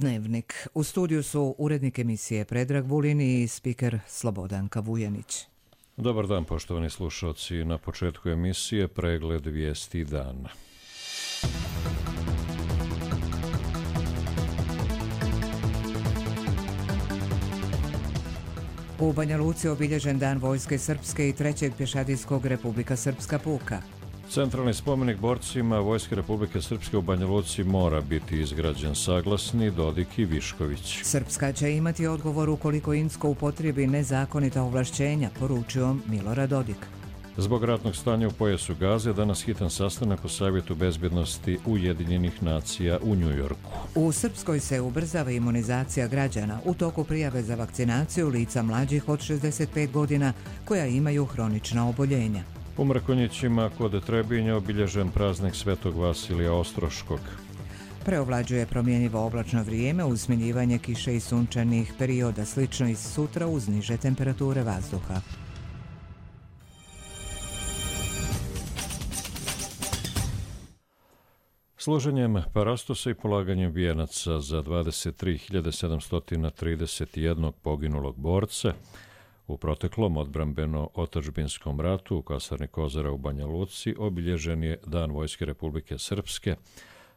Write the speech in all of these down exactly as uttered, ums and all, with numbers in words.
Dnevnik. U studiju su urednik emisije Predrag Vulin i spiker Slobodanka Vujanić. Dobar dan, poštovani slušalci. Na početku emisije pregled vijesti dana. U Banja Luci obilježen Dan vojske srpske i trećeg pješadijskog Republika Srpska puka. Centralni spomenik borcima Vojske Republike Srpske u Banja Luci mora biti izgrađen, saglasni Dodik i Višković. Srpska će imati odgovor ukoliko Insko upotrijebi nezakonita ovlašćenja, poručio Milorad Dodik. Zbog ratnog stanja u pojasu Gaze danas hitan sastanak u Savjetu bezbjednosti Ujedinjenih nacija u Njujorku. U Srpskoj se ubrzava imunizacija građana u toku prijave za vakcinaciju lica mlađih od šezdeset pet godina koja imaju hronična oboljenja. U Mrkonjićima kod Trebinja obilježen praznik Svetog Vasilija Ostroškog. Preovlađuje promjenjivo oblačno vrijeme uz smanjivanje kiše i sunčanih perioda, slično i sutra uz niže temperature vazduha. Složenjem parastosa i polaganjem vijenaca za dvadeset tri hiljade sedamsto trideset jedan poginulog borca u proteklom odbrambeno-otadžbinskom ratu u kasarni Kozara u Banja Luci obilježen je Dan Vojske Republike Srpske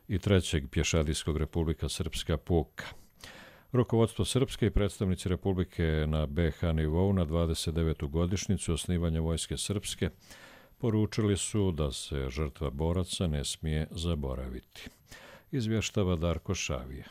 i trećeg pješadijskog Republika Srpska puka. Rukovodstvo Srpske i predstavnici Republike na be ha nivou na dvadeset devetu godišnjicu osnivanja Vojske Srpske poručili su da se žrtva boraca ne smije zaboraviti. Izvještava Darko Šavije.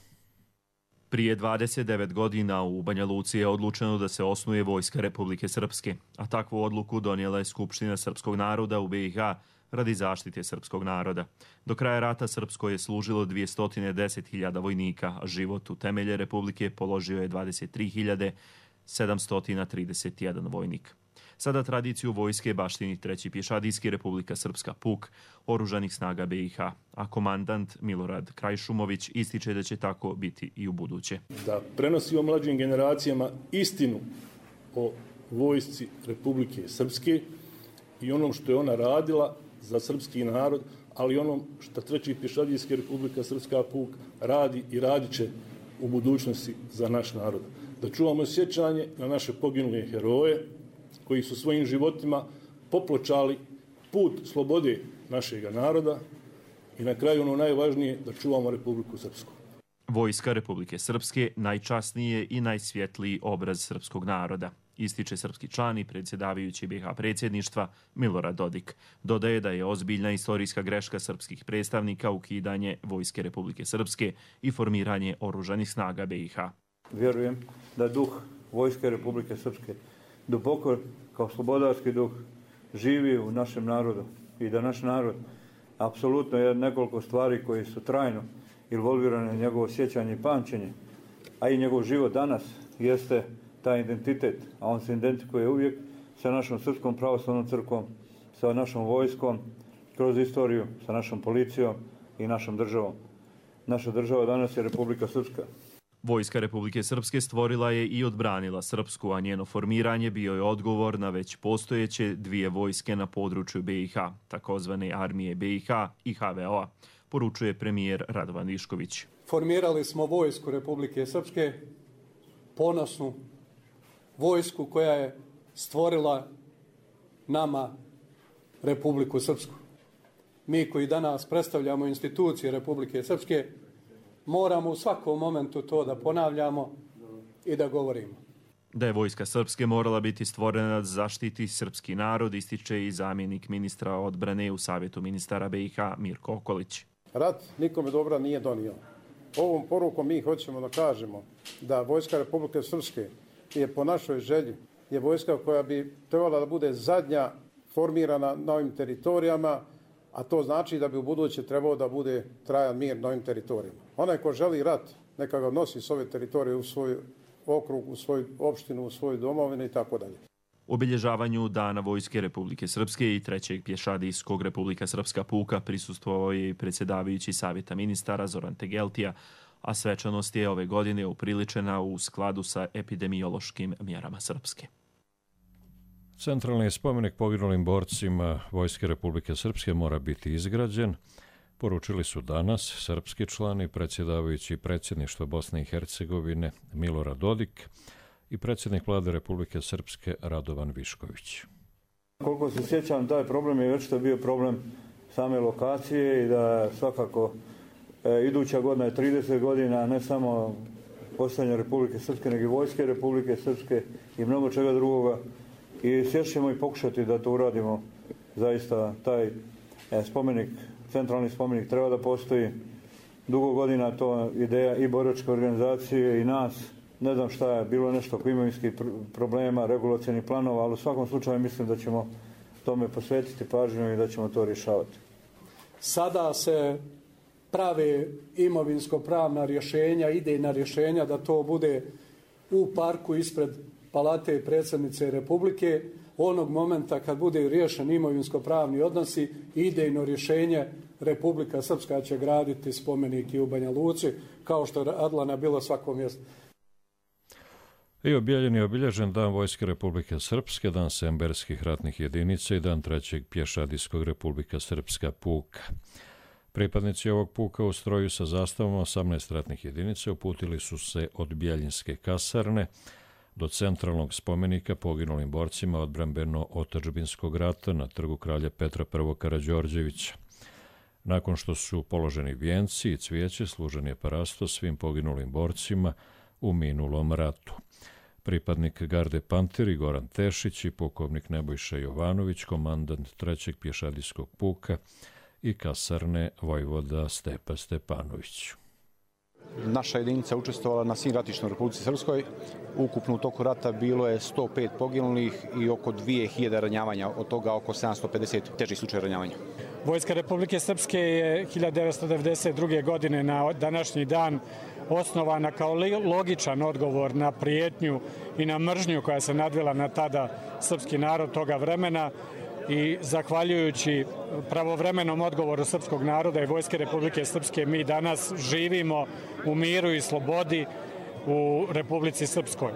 Prije dvadeset devet godina u Banja Luci je odlučeno da se osnuje Vojska Republike Srpske, a takvu odluku donijela je Skupština srpskog naroda u be i ha radi zaštite srpskog naroda. Do kraja rata Srpsko je služilo dvjesto deset hiljada vojnika, a život u temelje Republike položio je dvadeset tri hiljade sedamsto trideset jedan vojnik. Sada tradiciju vojske baštini treći pješadijski Republika Srpska puk oružanih snaga be i ha, a komandant Milorad Krajšumović ističe da će tako biti i u buduće. Da prenosimo mlađim generacijama istinu o vojsci Republike Srpske i onom što je ona radila za srpski narod, ali onom što treći pješadijski Republika Srpska puk radi i radit će u budućnosti za naš narod. Da čuvamo sjećanje na naše poginule heroje koji su svojim životima popločali put slobode našega naroda i na kraju ono najvažnije da čuvamo Republiku Srpsku. Vojska Republike Srpske najčasnije i najsvjetliji obraz srpskog naroda, ističe srpski član i predsjedavajući be ha predsjedništva Milorad Dodik. Dodaje da je ozbiljna istorijska greška srpskih predstavnika ukidanje Vojske Republike Srpske i formiranje oružanih snaga be i ha. Vjerujem da duh Vojske Republike Srpske duboko kao slobodarski duh živi u našem narodu i da naš narod apsolutno je nekoliko stvari koji su trajno involvirane njegovo sjećanje i pamćenje, a i njegov život danas jeste taj identitet, a on se identifikuje uvijek sa našom Srpskom pravoslavnom crkvom, sa našom vojskom, kroz istoriju, sa našom policijom i našom državom. Naša država danas je Republika Srpska. Vojska Republike Srpske stvorila je i odbranila Srpsku, a njeno formiranje bio je odgovor na već postojeće dvije vojske na području be i ha, takozvane armije be i ha i ha ve o-a, poručuje premijer Radovan Višković. Formirali smo Vojsku Republike Srpske, ponosnu vojsku koja je stvorila nama Republiku Srpsku. Mi koji danas predstavljamo institucije Republike Srpske moramo u svakom momentu to da ponavljamo i da govorimo. Da je Vojska Srpske morala biti stvorena da zaštiti srpski narod, ističe i zamjenik ministra odbrane u Savjetu ministara be i ha Mirko Okolić. Rat nikome dobra nije donio. Ovom porukom mi hoćemo da kažemo da Vojska Republike Srpske je po našoj želji je vojska koja bi trebala da bude zadnja formirana na ovim teritorijama, a to znači da bi u buduće trebao da bude trajan mir na ovim teritorijama. Onaj ko želi rat, neka ga nosi s ove teritorije u svoj okrug, u svoju opštinu, u svoju domovinu i tako dalje. Obilježavanju Dana Vojske Republike Srpske i trećeg pješadijskog Republika Srpska puka prisustvovao je i predsjedavajući Savjeta ministara Zoran Tegeltija, a svečanost je ove godine upriličena u skladu sa epidemiološkim mjerama Srpske. Centralni spomenik poginulim borcima Vojske Republike Srpske mora biti izgrađen. poručili su danas srpski član i predsjedavajući predsjedništva Bosne i Hercegovine Milorad Dodik i predsjednik vlade Republike Srpske Radovan Višković. Koliko se sjećam, taj problem je već to bio problem same lokacije i da svakako e, iduća godina je trideset godina, ne samo postojanja Republike Srpske, nego i vojske Republike Srpske i mnogo čega drugoga. I sješćemo i pokušati da to uradimo. Zaista taj e, spomenik, centralni spomenik treba da postoji. Dugo godina to ideja i boračke organizacije i nas. Ne znam šta je, bilo nešto oko imovinskih problema, regulacionih planova, ali u svakom slučaju mislim da ćemo tome posvetiti pažnju i da ćemo to rješavati. Sada se prave imovinsko-pravna rješenja, idejna rješenja da to bude u parku ispred Palate predsjednice Republike. Onog momenta kad bude riješen imovinsko-pravni odnosi, idejno rješenje Republika Srpska će graditi spomenik i u Banja Luci, kao što je radila na bilo svakom mjestu. I objavljen je obilježen Dan Vojske Republike Srpske, Dan semberskih ratnih jedinica i Dan trećeg pješadijskog Republika Srpska puka. Pripadnici ovog puka u stroju sa zastavom osamnaest ratnih jedinica uputili su se od Bjeljinske kasarne do centralnog spomenika poginulim borcima odbrambeno-otadžbinskog rata na trgu kralja Petra I. Karađorđevića. Nakon što su položeni vijenci i cvijeće, služen je parasto svim poginulim borcima u minulom ratu. Pripadnik Garde Panteri Goran Tešić i pukovnik Nebojša Jovanović, komandant trećeg pješadijskog puka i kasarne vojvoda Stepa Stepanović. Naša jedinica učestvovala na svim ratištima u Republici Srpskoj. Ukupno u toku rata bilo je sto pet poginulih i oko dvije hiljade ranjavanja, od toga oko sedamsto pedeset težih slučaja ranjavanja. Vojska Republike Srpske je hiljadu devetsto devedeset druge. godine na današnji dan osnovana kao logičan odgovor na prijetnju i na mržnju koja se nadvila na tada srpski narod toga vremena i zahvaljujući pravovremenom odgovoru srpskog naroda i Vojske Republike Srpske mi danas živimo u miru i slobodi u Republici Srpskoj.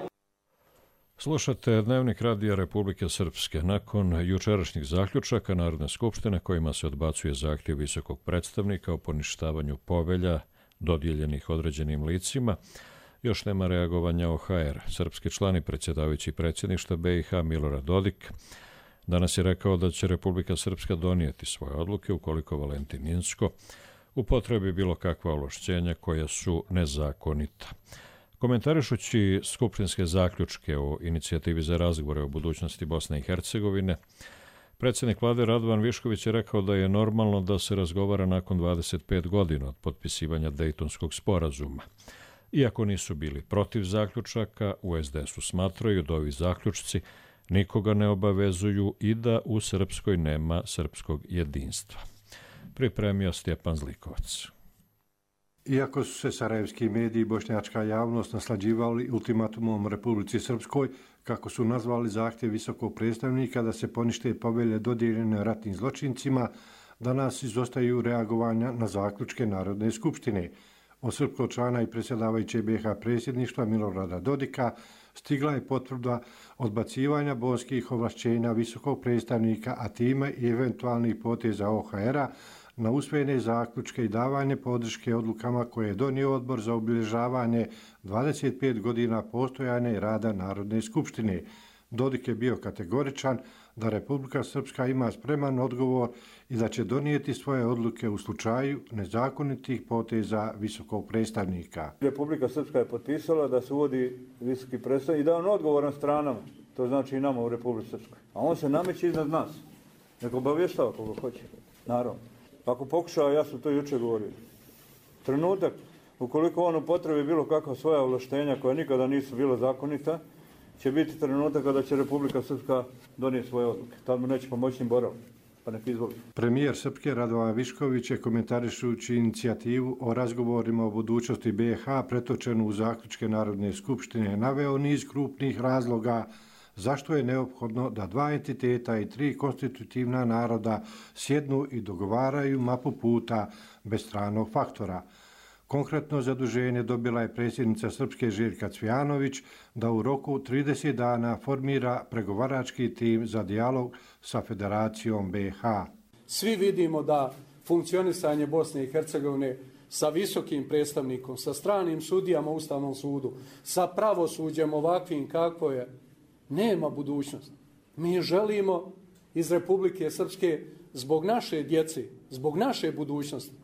Slušate Dnevnik radija Republike Srpske. Nakon jučerašnjih zaključaka Narodne skupštine kojima se odbacuje zahtjev visokog predstavnika o poništavanju povelja dodijeljenih određenim licima, još nema reagovanja O H R. Srpski član i predsjedavajući predsjedništva B i H Milorad Dodik danas je rekao da će Republika Srpska donijeti svoje odluke ukoliko Valentin Inzko upotrebi bilo kakva ovlašćenja koja su nezakonita. Komentarišući skupštinske zaključke o inicijativi za razgovore o budućnosti Bosne i Hercegovine, predsjednik vlade Radovan Višković je rekao da je normalno da se razgovara nakon dvadeset pet godina od potpisivanja Dejtonskog sporazuma. Iako nisu bili protiv zaključaka, u S D S-u smatraju da ovi zaključci nikoga ne obavezuju i da u Srpskoj nema srpskog jedinstva. Pripremio Stjepan Zlikovac. Iako su se sarajevski mediji i bošnjačka javnost naslađivali ultimatumom Republici Srpskoj, kako su nazvali zahtjev visokog predstavnika da se ponište povelje dodijeljene ratnim zločincima, danas izostaju reagovanja na zaključke Narodne skupštine. Od srpskog člana i predsjedavajuće B H predsjedništva Milorada Dodika stigla je potvrda odbacivanja bonskih ovlašćenja visokog predstavnika, a time i eventualnih poteza O H R-a na usvojene zaključke i davanje podrške odlukama koje je donio odbor za obilježavanje dvadeset pet godina postojanja i rada Narodne skupštine. Dodik je bio kategoričan da Republika Srpska ima spreman odgovor i da će donijeti svoje odluke u slučaju nezakonitih poteza visokog predstavnika. Republika Srpska je potpisala da se uvodi visoki predstavnik i da on odgovoran stranama, to znači i nama u Republici Srpskoj. A on se nameće iznad nas. Nek obavještava koga hoće. Naravno. Ako pokušava, ja sam to jučer govorio. Trenutak, ukoliko on upotrebi bilo kakva svoja ovlaštenja koja nikada nisu bila zakonita, će biti trenutak kada će Republika Srpska donijeti svoje odluke. Tad mu neće pomoći ni borav, pa nek izvoli. Premijer Srpske Radovan Višković je komentarišući inicijativu o razgovorima o budućnosti B i H pretočenu u zaključke Narodne skupštine naveo niz krupnih razloga zašto je neophodno da dva entiteta i tri konstitutivna naroda sjednu i dogovaraju mapu puta bez stranog faktora. Konkretno zaduženje dobila je predsjednica Srpske Željka Cvijanović da u roku trideset dana formira pregovarački tim za dijalog sa Federacijom B i H. Svi vidimo da funkcionisanje Bosne i Hercegovine sa visokim predstavnikom, sa stranim sudijama u Ustavnom sudu, sa pravosuđem ovakvim kako je, nema budućnosti. Mi želimo iz Republike Srpske zbog naše djece, zbog naše budućnosti,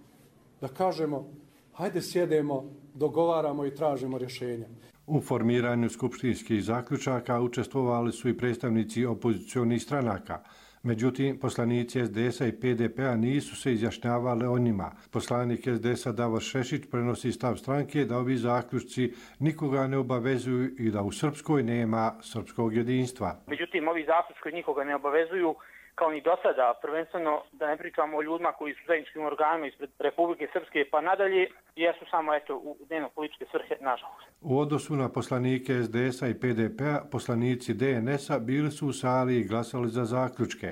da kažemo, hajde sjedemo, dogovaramo i tražimo rješenja. U formiranju skupštinskih zaključaka učestvovali su i predstavnici opozicionih stranaka. Međutim, poslanici es de esa i pe de pe-a nisu se izjašnjavali o njima. Poslanik es de esa Davor Šešić prenosi stav stranke da ovi zaključci nikoga ne obavezuju i da u Srpskoj nema srpskog jedinstva. Međutim, ovi zaključci nikoga ne obavezuju, kao ni do sada, prvenstveno da ne pričamo o ljudima koji su zajedničkim organima ispred Republike Srpske pa nadalje, jesu samo eto, u dnevno političke svrhe, nažalost. U odnosu na poslanike es de esa i pe de pe-a, poslanici de en esa bili su u sali i glasali za zaključke.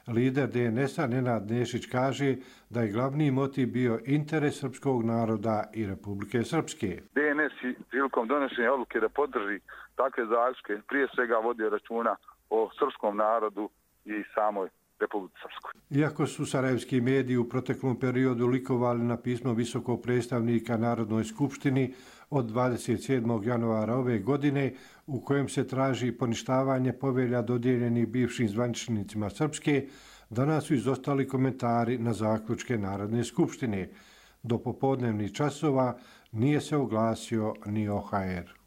Lider de en esa Nenad Nešić kaže da je glavni motiv bio interes srpskog naroda i Republike Srpske. de en es prilikom donošenja odluke da podrži takve zaključke prije svega vodio računa o srpskom narodu i samoj Republici Srpskoj. Iako su sarajevski mediji u proteklom periodu likovali na pismo visokog predstavnika Narodnoj skupštini od dvadeset sedmog januara ove godine, u kojem se traži poništavanje povelja dodijeljenih bivšim zvaničnicima Srpske, danas su izostali komentari na zaključke Narodne skupštine. Do popodnevnih časova nije se oglasio ni o ha er.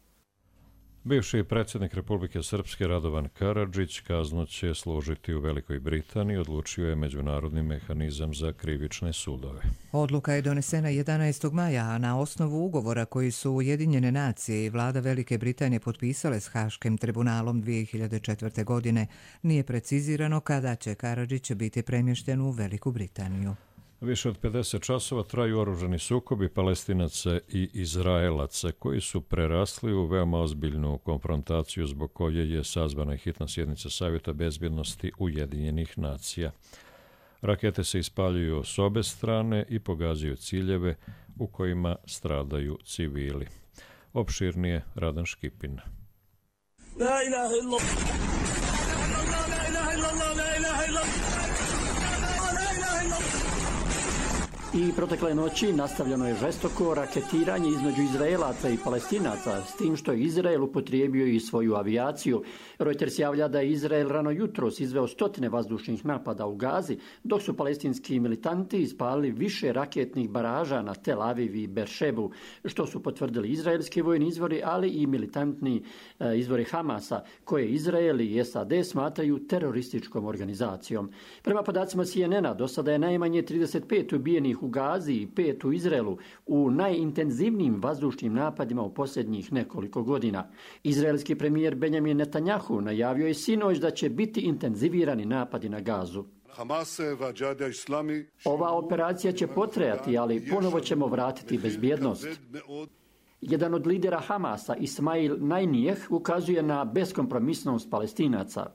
Bivši predsjednik Republike Srpske Radovan Karadžić kaznu će služiti u Velikoj Britaniji, odlučio je Međunarodni mehanizam za krivične sudove. Odluka je donesena jedanaestog maja, a na osnovu ugovora koji su Ujedinjene nacije i vlada Velike Britanije potpisale s Haškim tribunalom dvije hiljade četvrte. godine. Nije precizirano kada će Karadžić biti premješten u Veliku Britaniju. Više od pedeset časova traju oružani sukobi Palestinaca i Izraelaca koji su prerasli u veoma ozbiljnu konfrontaciju zbog koje je sazvana hitna sjednica Savjeta bezbjednosti Ujedinjenih nacija. Rakete se ispaljuju s obe strane i pogađaju ciljeve u kojima stradaju civili. Opširnije Radan Škipin. La ilaha illallah. La ilaha illallah. La ilaha illallah. I protekle noći nastavljeno je žestoko raketiranje između Izraelaca i Palestinaca, s tim što je Izrael upotrijebio i svoju avijaciju. Reuters javlja da je Izrael rano jutros izveo stotine vazdušnih napada u Gazi, dok su palestinski militanti ispalili više raketnih baraža na Tel Aviv i Beršebu, što su potvrdili izraelski vojni izvori, ali i militantni e, izvori Hamasa, koje Izrael i es a de smatraju terorističkom organizacijom. Prema podacima C N N-a, do sada je najmanje trideset pet ubijenih u Gazi i pet u Izraelu u najintenzivnijim vazdušnim napadima u posljednjih nekoliko godina. Izraelski premijer Benjamin Netanjahu najavio je sinoć da će biti intenzivirani napadi na Gazu. Ova operacija će potrajati, ali ponovo ćemo vratiti bezbjednost. Jedan od lidera Hamasa, Ismail Najnijeh, ukazuje na beskompromisnost Palestinaca.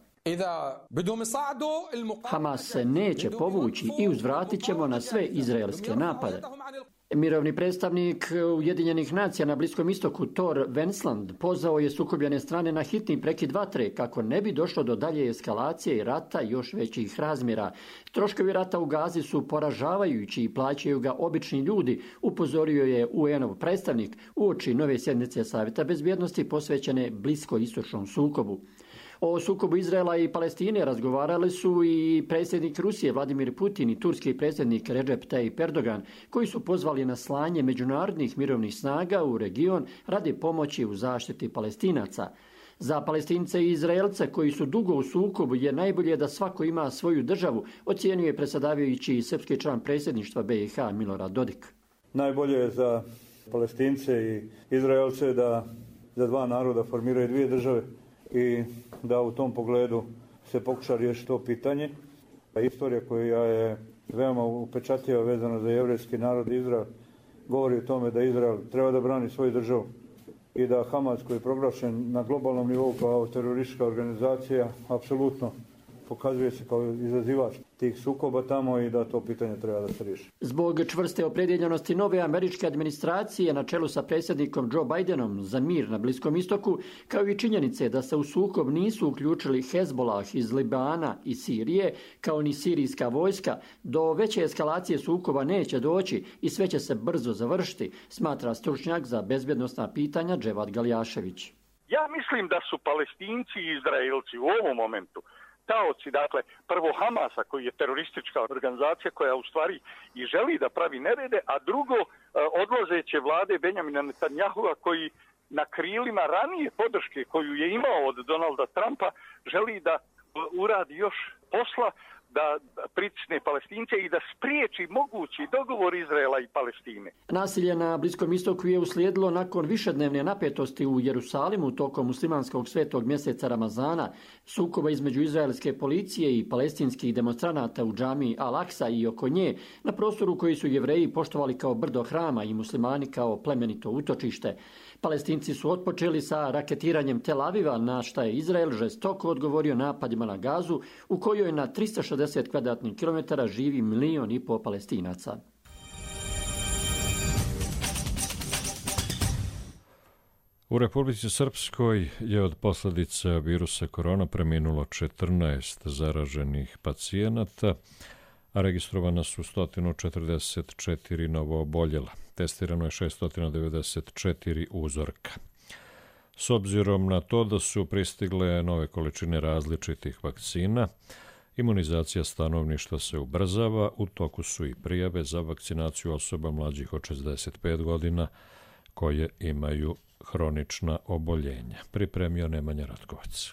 Hamas se neće povući i uzvratit ćemo na sve izraelske napade. Mirovni predstavnik Ujedinjenih nacija na Bliskom istoku Thor Vensland pozvao je sukobljene strane na hitni prekid vatre kako ne bi došlo do dalje eskalacije i rata još većih razmjera. Troškovi rata u Gazi su poražavajući i plaćaju ga obični ljudi, upozorio je U N-ov predstavnik uoči nove sjednice Savjeta bezbjednosti posvećene bliskoistočnom sukobu. O sukobu Izraela i Palestine razgovarali su i predsjednik Rusije Vladimir Putin i turski predsjednik Recep Tayyip Erdogan, koji su pozvali na slanje međunarodnih mirovnih snaga u region radi pomoći u zaštiti Palestinaca. Za Palestince i Izraelce koji su dugo u sukobu je najbolje da svako ima svoju državu, ocijenio je predsjedavajući i srpski član predsjedništva B i H Milorad Dodik. Najbolje je za Palestince i Izraelce da za dva naroda formiraju dvije države i da u tom pogledu se pokuša riješiti to pitanje. Istorija koja je veoma upečatljiva vezana za jevrejski narod Izrael govori o tome da Izrael treba da brani svoju državu i da Hamas, koji je proglašen na globalnom nivou kao teroristička organizacija, apsolutno pokazuje se kao izazivač tih sukoba tamo i da to pitanje treba da se riješi. Zbog čvrste opredjeljenosti nove američke administracije na čelu sa predsjednikom Joe Bidenom za mir na Bliskom istoku, kao i činjenice da se u sukob nisu uključili Hezbollah iz Libana i Sirije, kao ni sirijska vojska, do veće eskalacije sukoba neće doći i sve će se brzo završiti, smatra stručnjak za bezbjednosna pitanja Dževad Galjašević. Ja mislim da su Palestinci i Izraelci u ovom momentu taoci, dakle, prvo Hamasa koji je teroristička organizacija koja u stvari i želi da pravi nerede, a drugo odlazeće vlade Benjamina Netanjahua koji na krilima ranije podrške koju je imao od Donalda Trumpa želi da uradi još posla, da pritisne Palestince i da spriječi mogući dogovor Izraela i Palestine. Nasilje na Bliskom istoku je uslijedilo nakon višednevne napetosti u Jerusalimu tokom muslimanskog svetog mjeseca Ramazana, sukoba između izraelske policije i palestinskih demonstranata u džamiji Al-Aksa i oko nje, na prostoru koji su Jevreji poštovali kao brdo hrama i muslimani kao plemenito utočište. Palestinci su otpočeli sa raketiranjem Tel Aviva, na šta je Izrael žestoko odgovorio napadima na Gazu, u kojoj na tristo šezdeset kvadratnih kilometara živi milion i pol Palestinaca. U Republici Srpskoj je od posljedica virusa korona preminulo četrnaest zaraženih pacijenata, a registrovana su sto četrdeset četiri novooboljela. Testirano je šesto devedeset četiri uzorka. S obzirom na to da su pristigle nove količine različitih vakcina, imunizacija stanovništva se ubrzava, u toku su i prijave za vakcinaciju osoba mlađih od šezdeset pet godina koje imaju hronična oboljenja. Pripremio Nemanja Ratkovac.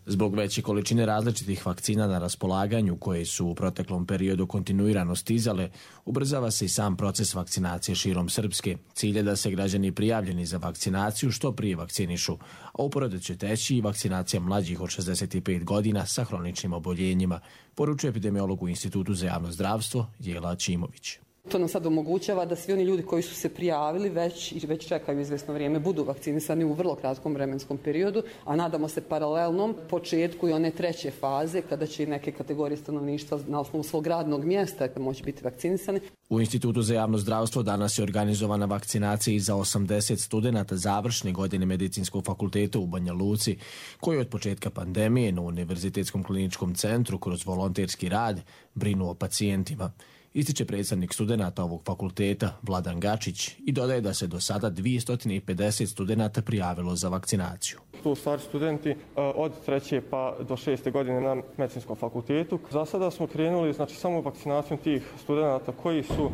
Zbog veće količine različitih vakcina na raspolaganju koje su u proteklom periodu kontinuirano stizale, ubrzava se i sam proces vakcinacije širom Srpske. Cilj je da se građani prijavljeni za vakcinaciju što prije vakcinišu, a uporedo će teći i vakcinacija mlađih od šezdeset pet godina sa hroničnim oboljenjima, poručuje epidemiolog u Institutu za javno zdravstvo Jela Ćimović. To nam sad omogućava da svi oni ljudi koji su se prijavili već i već čekaju izvesno vrijeme budu vakcinisani u vrlo kratkom vremenskom periodu, a nadamo se paralelnom početku i one treće faze kada će i neke kategorije stanovništva na osnovu svog radnog mjesta moći biti vakcinisani. U Institutu za javno zdravstvo danas je organizovana vakcinacija i za osamdeset studenata završne godine Medicinskog fakulteta u Banja Luci, koji od početka pandemije na Univerzitetskom kliničkom centru kroz volonterski rad brinu o pacijentima. Ističe predstavnik studenata ovog fakulteta Vladan Gačić i dodaje da se do sada dvjesto pedeset studenata prijavilo za vakcinaciju. Tu stvari studenti od treće pa do šeste godine na Medicinskom fakultetu. Za sada smo krenuli znači, samo vakcinacijom tih studenata koji su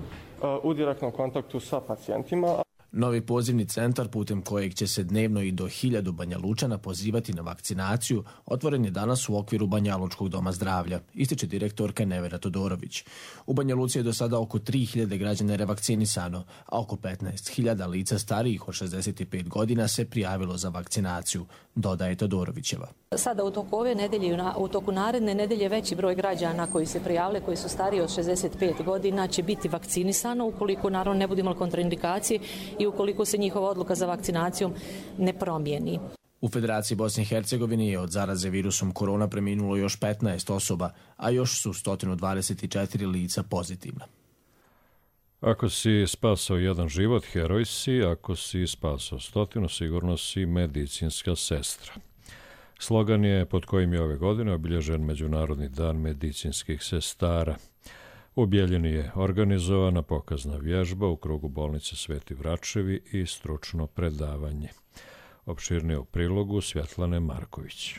u direktnom kontaktu sa pacijentima. Novi pozivni centar putem kojeg će se dnevno i do hiljadu Banja Lučana pozivati na vakcinaciju otvoren je danas u okviru Banja Lučkog doma zdravlja, ističe direktorka Nevera Todorović. U Banja Luci je do sada oko tri hiljade građana revakcinisano, a oko petnaest hiljada lica starijih od šezdeset pet godina se prijavilo za vakcinaciju, dodaje Todorovićeva. Sada u toku ove nedelje i u toku naredne nedelje veći broj građana koji se prijavile, koji su stariji od šezdeset pet godina, će biti vakcinisano ukoliko naravno ne bude imalo kontraindikacije i ukoliko se njihova odluka za vakcinacijom ne promijeni. U Federaciji Bosne i Hercegovine je od zaraze virusom korona preminulo još petnaest osoba, a još su sto dvadeset četiri lica pozitivna. Ako si spasao jedan život, heroj si, ako si spasao stotinu, sigurno si medicinska sestra. Slogan je pod kojim je ove godine obilježen Međunarodni dan medicinskih sestara. U Bijeljini je organizovana pokazna vježba u krugu bolnice Sveti Vračevi i stručno predavanje. Opširnije u prilogu Svjetlane Marković.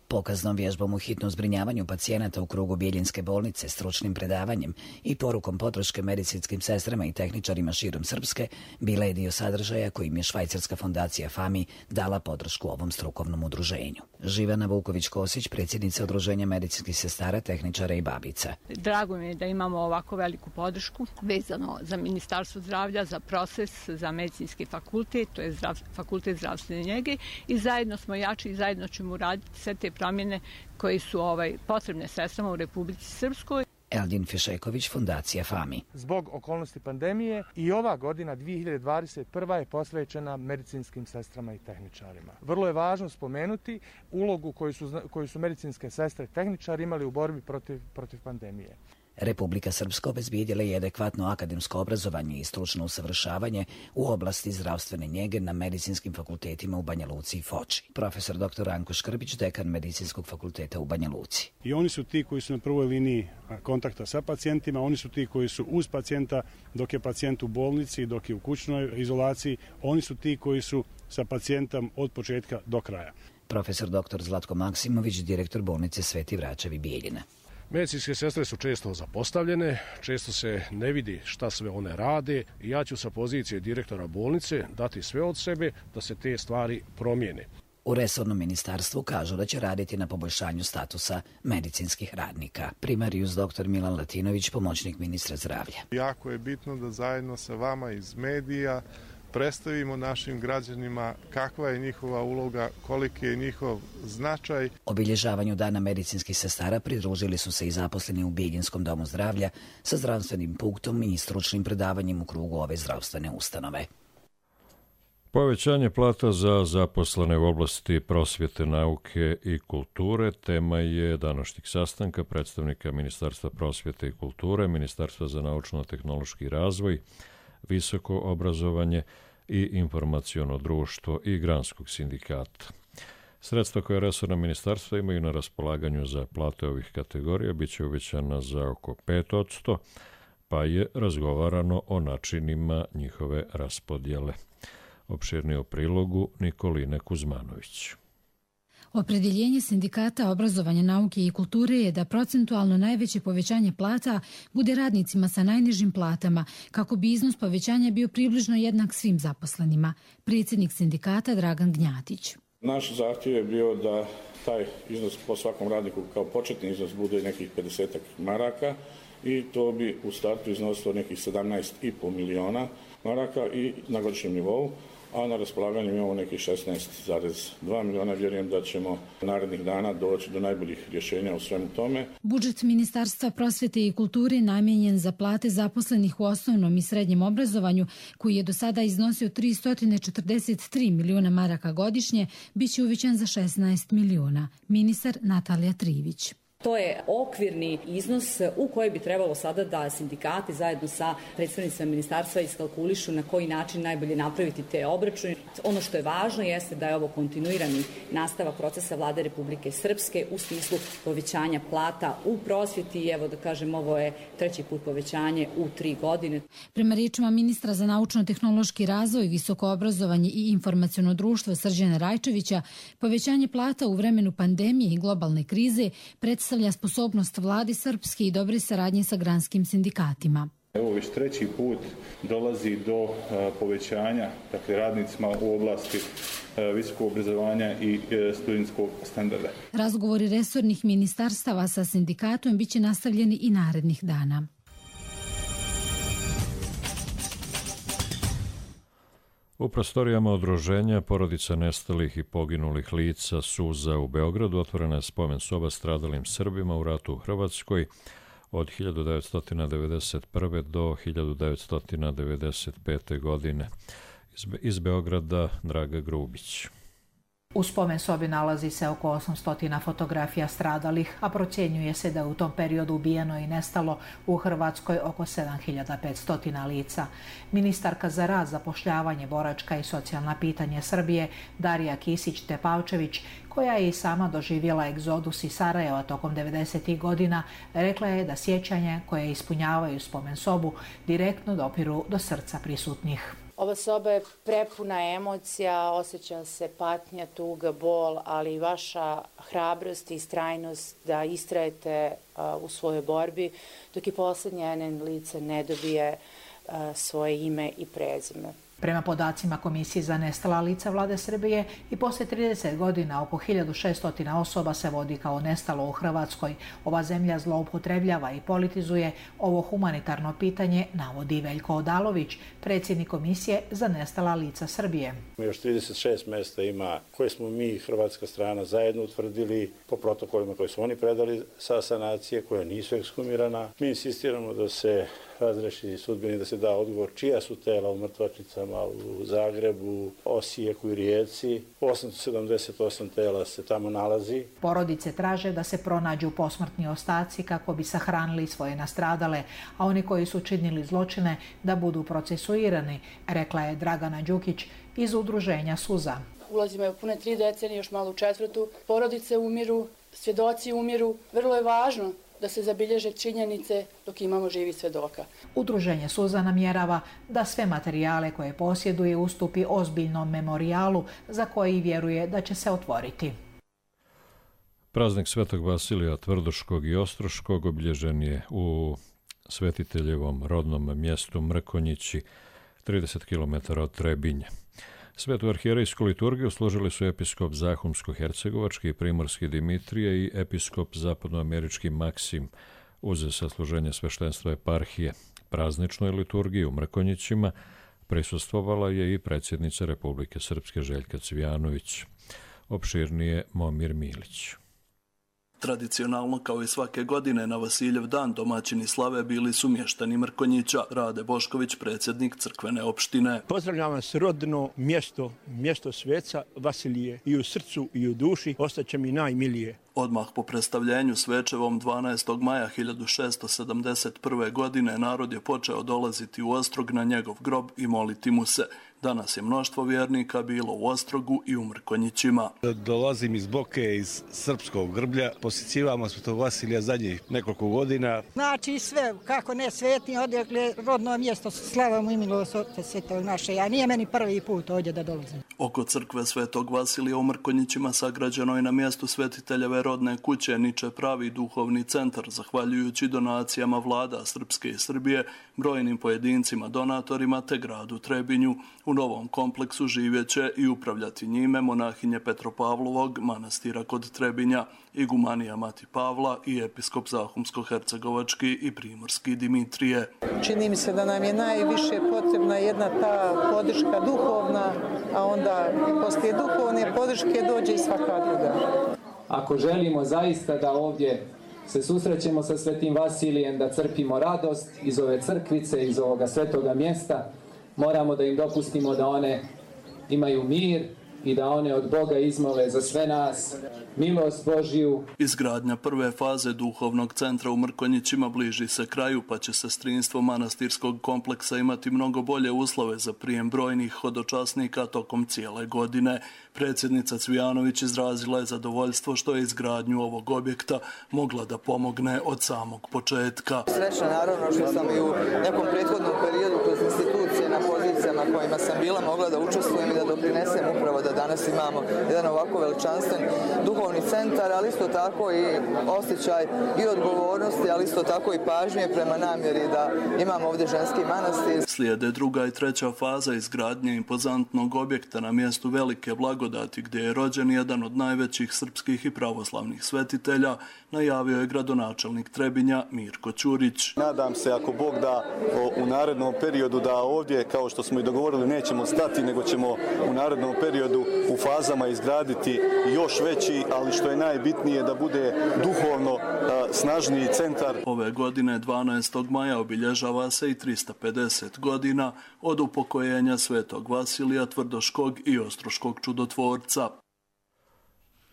Pokaznom vježbom u hitnom zbrinjavanju pacijenata u krugu Bijeljinske bolnice, stručnim predavanjem i porukom podrške medicinskim sestrama i tehničarima širom Srpske bila je dio sadržaja kojim je švajcarska fondacija FAMI dala podršku ovom strukovnom udruženju. Živana Vuković-Kosić, predsjednica Udruženja medicinskih sestara, tehničara i babica. Drago mi je da imamo ovako veliku podršku vezano za Ministarstvo zdravlja, za proces, za medicinski fakultet, to je zdrav, fakultet zdravstvene njege i zajedno smo jači i zajedno ćemo uraditi sve te promjene koje su ovaj, potrebne sestrama u Republici Srpskoj. Eldin Fišeković, Fondacija Fami. Zbog okolnosti pandemije i ova godina dvije hiljade dvadeset prva je posvećena medicinskim sestrama i tehničarima. Vrlo je važno spomenuti ulogu koju su, koju su medicinske sestre i tehničari imali u borbi protiv, protiv pandemije. Republika Srpska obezbijedila je adekvatno akademsko obrazovanje i stručno usavršavanje u oblasti zdravstvene njege na medicinskim fakultetima u Banja Luci i Foči. Profesor doktor Ranko Škrbić, dekan Medicinskog fakulteta u Banja Luci. I oni su ti koji su na prvoj liniji kontakta sa pacijentima, oni su ti koji su uz pacijenta dok je pacijent u bolnici, dok je u kućnoj izolaciji, oni su ti koji su sa pacijentom od početka do kraja. Profesor doktor Zlatko Maksimović, direktor bolnice Sveti Vračevi Bijeljina. Medicinske sestre su često zapostavljene, često se ne vidi šta sve one rade i ja ću sa pozicije direktora bolnice dati sve od sebe da se te stvari promijene. U resornom ministarstvu kažu da će raditi na poboljšanju statusa medicinskih radnika. Primarius doktor Milan Latinović, pomoćnik ministra zdravlja. Jako je bitno da zajedno sa vama iz medija predstavimo našim građanima kakva je njihova uloga, koliki je njihov značaj. Obilježavanju Dana medicinskih sestara pridružili su se i zaposleni u Biljinskom domu zdravlja sa zdravstvenim punktom i stručnim predavanjem u krugu ove zdravstvene ustanove. Povećanje plata za zaposlene u oblasti prosvjete, nauke i kulture tema je današnjeg sastanka predstavnika Ministarstva prosvjete i kulture, Ministarstva za naučno-tehnološki razvoj, visoko obrazovanje i informaciono društvo i granskog sindikata. Sredstva koje resorna ministarstva imaju na raspolaganju za plate ovih kategorija bit će uvećana za oko pet posto, pa je razgovarano o načinima njihove raspodjele. Opširnije u prilogu Nikoline Kuzmanović. Opredjeljenje sindikata obrazovanja, nauke i kulture je da procentualno najveće povećanje plata bude radnicima sa najnižim platama, kako bi iznos povećanja bio približno jednak svim zaposlenima. Predsjednik sindikata Dragan Gnjatić. Naš zahtjev je bio da taj iznos po svakom radniku kao početni iznos bude nekih pedeset maraka i to bi u startu iznosilo nekih sedamnaest i po miliona maraka i na godišnjem nivou, a na raspolaganju imamo nekih šesnaest zarez dva miliona. Vjerujem da ćemo narednih dana doći do najboljih rješenja u svemu tome. Budžet Ministarstva prosvjete i kulture namijenjen za plate zaposlenih u osnovnom i srednjem obrazovanju, koji je do sada iznosio tristo četrdeset tri miliona maraka godišnje, bit će uvećan za šesnaest miliona. Ministar Natalija Trivić. To je okvirni iznos u koji bi trebalo sada da sindikati zajedno sa predstavnicima ministarstva iskalkulišu na koji način najbolje napraviti te obračune. Ono što je važno jeste da je ovo kontinuirani nastavak procesa Vlade Republike Srpske u smislu povećanja plata u prosvjeti i evo da kažem ovo je treći put povećanje u tri godine. Prema riječima ministra za naučno-tehnološki razvoj, visoko obrazovanje i informaciono društvo Srđana Rajčevića, povećanje plata u vremenu pandemije i globalne krize predstavlja predstavlja sposobnost vladi Srpske i dobre saradnje sa granskim sindikatima. Evo već treći put dolazi do povećanja dakle, radnicima u oblasti visokog obrazovanja i studentskog standarda. Razgovori resornih ministarstava sa sindikatom biće nastavljeni i narednih dana. U prostorijama udruženja porodica nestalih i poginulih lica Suza u Beogradu otvorena je spomen soba stradalim Srbima u ratu u Hrvatskoj od hiljadu devetsto devedeset prve do hiljadu devetsto devedeset pete. godine. Iz, Be- iz Beograda Draga Grubić. U spomen sobi nalazi se oko osamsto fotografija stradalih, a procjenjuje se da je u tom periodu ubijeno i nestalo u Hrvatskoj oko sedam hiljada petsto lica. Ministarka za rad, zapošljavanje, boračka i socijalna pitanja Srbije Darija Kisić-Tepavčević, koja je i sama doživjela egzodus iz Sarajeva tokom devedesetih godina, rekla je da sjećanje koje ispunjavaju spomen sobu direktno dopiru do srca prisutnih. Ova soba je prepuna emocija, osjeća se patnja, tuga, bol, ali i vaša hrabrost i istrajnost da istrajete u svojoj borbi, dok i posljednje lice ne dobije svoje ime i prezime. Prema podacima Komisije za nestala lica Vlade Srbije i poslije trideset godina oko hiljadu šesto osoba se vodi kao nestalo u Hrvatskoj. Ova zemlja zloupotrebljava i politizuje ovo humanitarno pitanje, navodi Veljko Odalović, predsjednik Komisije za nestala lica Srbije. Još trideset šest mjesta ima koje smo mi, hrvatska strana, zajedno utvrdili po protokolima koje su oni predali sa sanacije, koja nisu ekshumirana. Mi insistiramo da se razreši sudbini, da se da odgovor čija su tela u mrtvačnicama u Zagrebu, Osijeku i Rijeci. osamsto sedamdeset osam tela se tamo nalazi. Porodice traže da se pronađu posmrtni ostaci kako bi sahranili svoje nastradale, a oni koji su činili zločine da budu procesuirani, rekla je Dragana Đukić iz udruženja Suza. Ulazimo u pune tri decenije, još malo u četvrtu. Porodice umiru, svjedoci umiru. Vrlo je važno da se zabilježe činjenice dok imamo živi svjedoka. Udruženje Suza namjerava da sve materijale koje posjeduje ustupi ozbiljnom memorijalu za koji vjeruje da će se otvoriti. Praznik Svetog Vasilija Tvrdoškog i Ostroškog obilježen je u svetiteljevom rodnom mjestu Mrkonjići, trideset kilometara od Trebinja. Svetu arhijerejsku liturgiju složili su episkop Zahumsko-hercegovački i primorski Dimitrije i episkop zapadnoamerički Maksim uz sasluženje sveštenstva eparhije. Prazničnoj liturgiji u Mrkonjićima prisustvovala je i predsjednica Republike Srpske Željka Cvijanović. Opširnije Momir Milić. Tradicionalno, kao i svake godine, na Vasiljev dan domaćini slave bili su mještani Mrkonjića. Rade Bošković, predsjednik crkvene opštine. Pozdravljam vas rodno mjesto, mjesto sveca Vasilije, i u srcu i u duši ostaće mi najmilije. Odmah po predstavljenju svečevom dvanaestog maja hiljadu šesto sedamdeset prve. godine narod je počeo dolaziti u Ostrog na njegov grob i moliti mu se. Danas je mnoštvo vjernika bilo u Ostrogu i u Mrkonjićima. Dolazim iz Boke, iz srpskog grblja. Posjećivamo Svetog Vasilija zadnjih nekoliko godina. Znači sve, kako ne svetni, odakle rodno mjesto slava mu i milost Svetog naše. A nije meni prvi put ovdje da dolazim. Oko crkve Svetog Vasilija u Mrkonjićima sagrađeno je na mjestu svetiteljeve rodne kuće niče pravi duhovni centar, zahvaljujući donacijama vlada Srpske i Srbije, brojnim pojedincima donatorima te gradu Trebinju. U novom kompleksu živjeće i upravljati njime monahinje Petropavlovog manastira kod Trebinja, igumanija Mati Pavla i episkop Zahumsko-hercegovački i primorski Dimitrije. Čini mi se da nam je najviše potrebna jedna ta podrška duhovna, a onda poslije duhovne podrške dođe i svaka druga. Ako želimo zaista da ovdje se susrećemo sa Svetim Vasilijem, da crpimo radost iz ove crkvice, iz ovoga svetoga mjesta, moramo da im dopustimo da one imaju mir i da one od Boga izmole za sve nas milost Božiju. Izgradnja prve faze duhovnog centra u Mrkonjićima bliži se kraju, pa će sestrinstvo manastirskog kompleksa imati mnogo bolje uslove za prijem brojnih hodočasnika tokom cijele godine. Predsjednica Cvijanović izrazila je zadovoljstvo što je izgradnju ovog objekta mogla da pomogne od samog početka. Srećna naravno što sam i u nekom prethodnom periodu kroz institucije na pozicijama kojima sam bila mogla da učestvujem i da doprinesem upravo da danas imamo jedan ovako veličanstven duhovni centar, ali isto tako i osjećaj i odgovornosti, ali isto tako i pažnje prema namjeri da imamo ovdje ženski manastir. Slijede druga i treća faza izgradnje impozantnog objekta na mjestu Velike Blagodati, gdje je rođen jedan od najvećih srpskih i pravoslavnih svetitelja, najavio je gradonačelnik Trebinja Mirko Ćurić. Nadam se, ako Bog da, u narednom periodu da ovdje, kao što smo i dogovorili, nećemo stati, nego ćemo u narednom periodu u fazama izgraditi još veći, ali što je najbitnije da bude duhovno snažniji centar. Ove godine dvanaestog maja obilježava se i trista pedeset godina od upokojenja Svetog Vasilija Tvrdoškog i Ostroškog čudotvorca.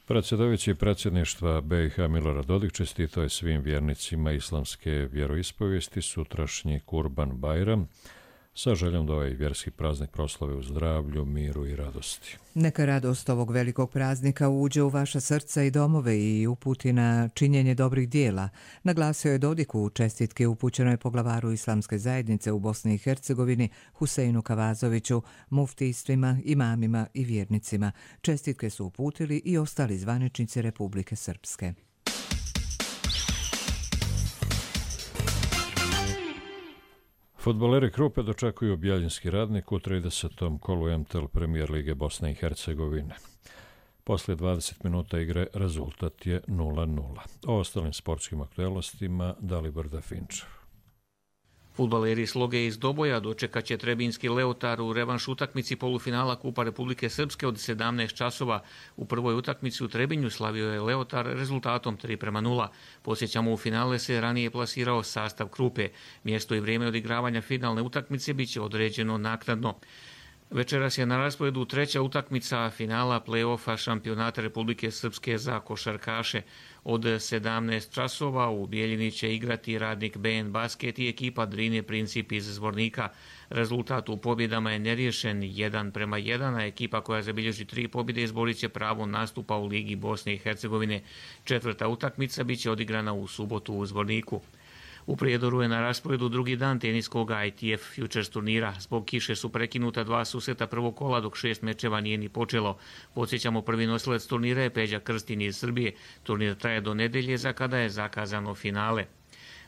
Predsjedovići predsjedništva B i H Milorad Dodik čestitao je svim vjernicima islamske vjeroispovijesti sutrašnji Kurban Bajram sa željom da ovaj vjerski praznik proslave u zdravlju, miru i radosti. Neka radost ovog velikog praznika uđe u vaša srca i domove i uputi na činjenje dobrih dijela, naglasio je Dodik u čestitke upućenoj poglavaru islamske zajednice u Bosni i Hercegovini Huseinu Kavazoviću, muftijstvima, imamima i vjernicima. Čestitke su uputili i ostali zvaničnici Republike Srpske. Fudbaleri Krupe dočekuju Bjeljinski Radnik u tridesetom kolu M T L Premier Lige Bosne i Hercegovine. Poslije dvadeset minuta igre rezultat je nula nula. O ostalim sportskim aktualnostima Dalibor Dafinčev. Fudbaleri Sloge iz Doboja dočekat će Trebinski Leotar u revanš utakmici polufinala Kupa Republike Srpske od sedamnaest časova. U prvoj utakmici u Trebinju slavio je Leotar rezultatom tri prema nula. Posjećamo, u finale se ranije plasirao sastav Krupe. Mjesto i vrijeme odigravanja finalne utakmice bit će određeno naknadno. Večeras je na rasporedu treća utakmica finala play-offa šampionata Republike Srpske za košarkaše. Od sedamnaest časova u Bijeljini će igrati Radnik B N Basket i ekipa Drine Princip iz Zvornika. Rezultat u pobjedama je neriješen jedan prema jedan, a ekipa koja zabilježi tri pobjede izborit će pravo nastupa u Ligi Bosne i Hercegovine. Četvrta utakmica bit će odigrana u subotu u Zvorniku. U Prijedoru je na rasporedu drugi dan teniskog I T F Futures turnira. Zbog kiše su prekinuta dva susreta prvog kola, dok šest mečeva nije ni počelo. Podsjećamo, prvi nosilac turnira je Peđa Krstin iz Srbije. Turnir traje do nedelje, za kada je zakazano finale.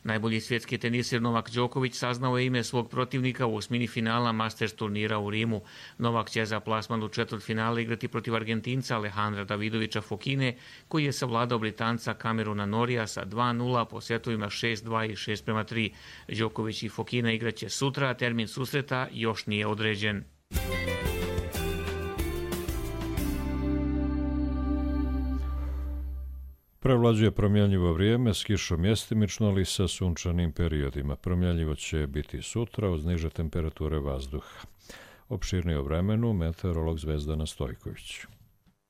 Najbolji svjetski teniser Novak Đoković saznao je ime svog protivnika u osmini finala Masters turnira u Rimu. Novak će za plasman u četvrtfinale igrati protiv Argentinca Alejandra Davidovića Fokine, koji je savladao Britanca Cameruna Norija sa dva nula po setovima šest dva i šest prema tri. Đoković i Fokina igraće sutra, a termin susreta još nije određen. Prevlađuje promjenljivo vrijeme s kišom mjestimično, ali sa sunčanim periodima. Promjenljivo će biti sutra uz niže temperature vazduha. Opširnije o vremenu meteorolog Zvezdana Stojković.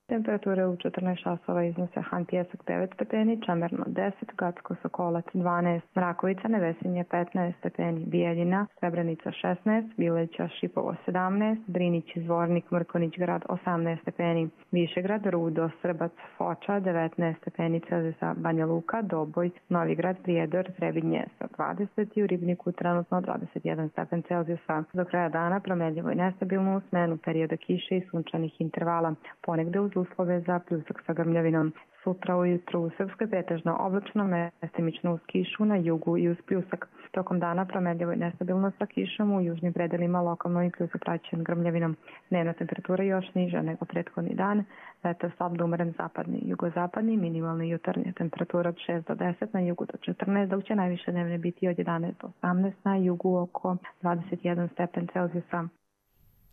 Temperature u četrnaest časova iznose Han Pjesak devet stepeni, Čemerno deset, Gacko Sokolac dvanaest, Mrakovica Nevesinje petnaest stepeni, Bijeljina, Srebrenica šesnaest, Bileća Šipovo sedamnaest, Drinić Zvornik, Mrkonić grad osamnaest stepeni, Višegrad, Rudo, Srbac, Foča devetnaest stepeni Celzijusa, Banja Luka, Doboj, Novigrad, Prijedor, Trebinje sa dvadeset i u Ribniku trenutno dvadeset jedan stepen Celzijusa. Do kraja dana promjenljivo i nestabilno u smenu perioda kiše i sunčanih intervala, ponegde uz uslove za pljusak sa grmljavinom. Sutra ujutru u Srpskoj pretežno oblačno, mestimično uz kišu na jugu i uz pljusak. Tokom dana promjenljivo i nestabilno sa kišom u južnim predelima, lokalno i pljusak praćen grmljavinom. Dnevna temperatura još niža nego prethodni dan. Vetar slab do umeren zapadni, jugozapadni, minimalni jutarnja temperatura od šest do deset, na jugu do četrnaest, dok će najviše dnevne biti od jedanaest do osamnaest, na jugu oko dvadeset jedan stepen Celzijusa.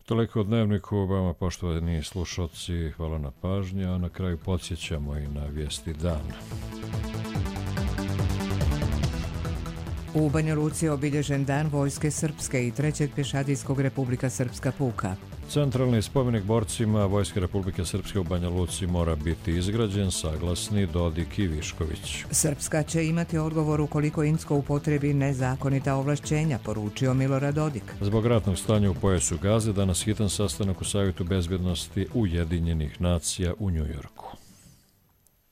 Toliko o Dnevniku, vama poštovani slušalci, hvala na pažnji, a na kraju podsjećamo i na vijesti dana. U Banja Luci je obilježen Dan Vojske Srpske i trećeg pješadijskog Republika Srpska puka. Centralni spomenik borcima Vojske Republike Srpske u Banja Luci mora biti izgrađen, saglasni Dodik i Višković. Srpska će imati odgovor ukoliko Incko upotrebi nezakonita ovlašćenja, poručio Milorad Dodik. Zbog ratnog stanja u pojasu Gaze, danas hitan sastanak u Savjetu bezbjednosti Ujedinjenih nacija u Njujorku.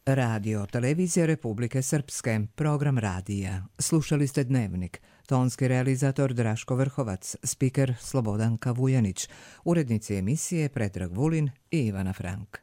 Radio, televizija Republike Srpske, program radija. Slušali ste Dnevnik. Tonski realizator Draško Vrhovac, spiker Slobodanka Vujanić, urednici emisije Predrag Vulin i Ivana Frank.